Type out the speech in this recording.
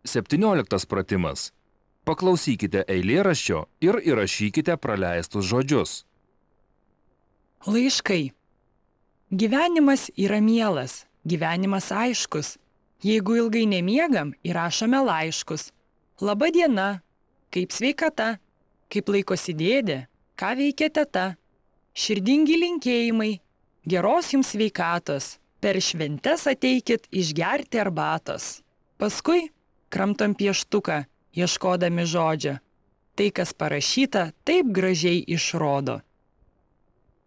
17 pratimas. Paklausykite eilėraščio ir įrašykite praleistus žodžius. Laiškai. Gyvenimas yra mielas, gyvenimas aiškus. Jeigu ilgai nemiegam, įrašome laiškus. Laba diena, kaip sveikata, kaip laikosi dėdė, ką veikia teta. Širdingi linkėjimai, geros jums sveikatos, per šventes ateikit išgerti arbatos. Paskui kramtom pieštuką, ieškodami žodžio. Tai, kas parašyta, taip gražiai išrodo.